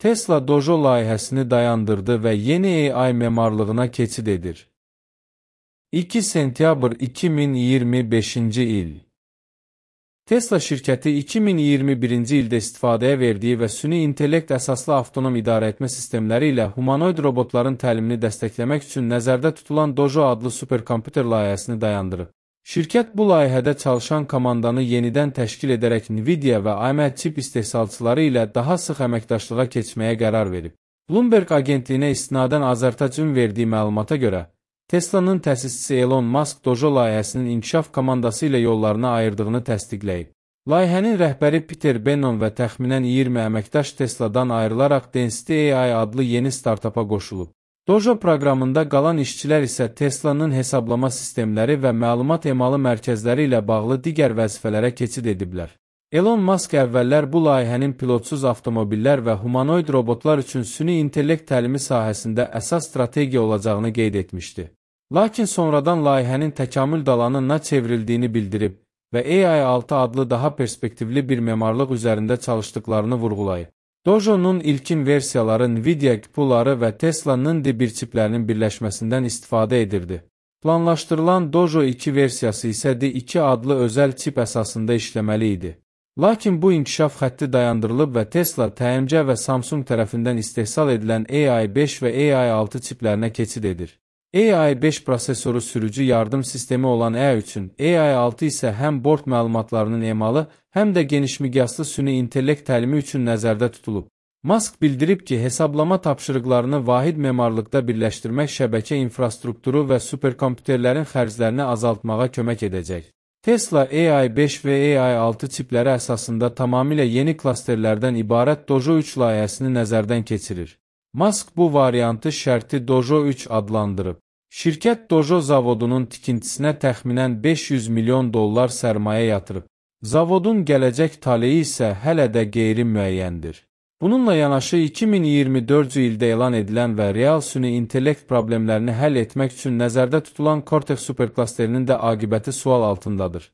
Tesla Dojo layihəsini dayandırdı və yeni AI memarlığına keçid edir. 2 sentyabr 2025-ci il. Tesla şirkəti 2021-ci ildə istifadəyə verdiyi və süni intellekt əsaslı avtonom idarəetmə sistemləri ilə humanoid robotların təlimini dəstəkləmək üçün nəzərdə tutulan Dojo adlı superkomputer layihəsini dayandırıb. Şirkət bu layihədə çalışan komandanı yenidən təşkil edərək Nvidia və AMD çip istehsalçıları ilə daha sıx əməkdaşlığa keçməyə qərar verib. Bloomberg agentliyinə istinadən Azərtacın verdiyi məlumata görə, Tesla'nın təsisçisi Elon Musk Dojo layihəsinin inkişaf komandası ilə yollarını ayırdığını təsdiqləyib. Layihənin rəhbəri Peter Bennon və təxminən 20 əməkdaş Tesla'dan ayrılaraq Density AI adlı yeni startapa qoşulub. Dojo proqramında qalan işçilər isə Tesla'nın hesablama sistemləri və məlumat emalı mərkəzləri ilə bağlı digər vəzifələrə keçid ediblər. Elon Musk əvvəllər bu layihənin pilotsuz avtomobillər və humanoid robotlar üçün süni intellekt təlimi sahəsində əsas strategiya olacağını qeyd etmişdi. Lakin sonradan layihənin təkamül dalanına çevrildiyini bildirib və AI-6 adlı daha perspektivli bir memarlıq üzərində çalışdıqlarını vurğulayıb. Dojo'nun ilkin versiyaları Nvidia QPU-ları və Tesla'nın D1 çiplərinin birləşməsindən istifadə edirdi. Planlaşdırılan Dojo 2 versiyası isə D2 adlı özəl çip əsasında işləməli idi. Lakin bu inkişaf xətti dayandırılıb və Tesla, TMC və Samsung tərəfindən istehsal edilən AI5 və AI6 çiplərinə keçid edir. AI5 prosesoru sürücü yardım sistemi olan E3-ün, AI6 isə həm bord məlumatlarının emalı, həm də genişmiqyaslı süni intellekt təlimi üçün nəzərdə tutulub. Musk bildirib ki, hesablama tapşırıqlarını vahid memarlıqda birləşdirmək şəbəkə infrastrukturu və superkomputerlərin xərclərini azaltmağa kömək edəcək. Tesla AI5 və AI6 çipləri əsasında tamamilə yeni klasterlərdən ibarət Dojo 3 layihəsini nəzərdən keçirir. Musk bu variantı şərti Dojo 3 adlandırıb. Şirkət Dojo zavodunun tikintisinə təxminən $500 milyon sərmayə yatırıb. Zavodun gələcək taleyi isə hələ də qeyri-müəyyəndir. Bununla yanaşı 2024-cü ildə elan edilən və real süni intellekt problemlərini həll etmək üçün nəzərdə tutulan Cortex superklasterinin də aqibəti sual altındadır.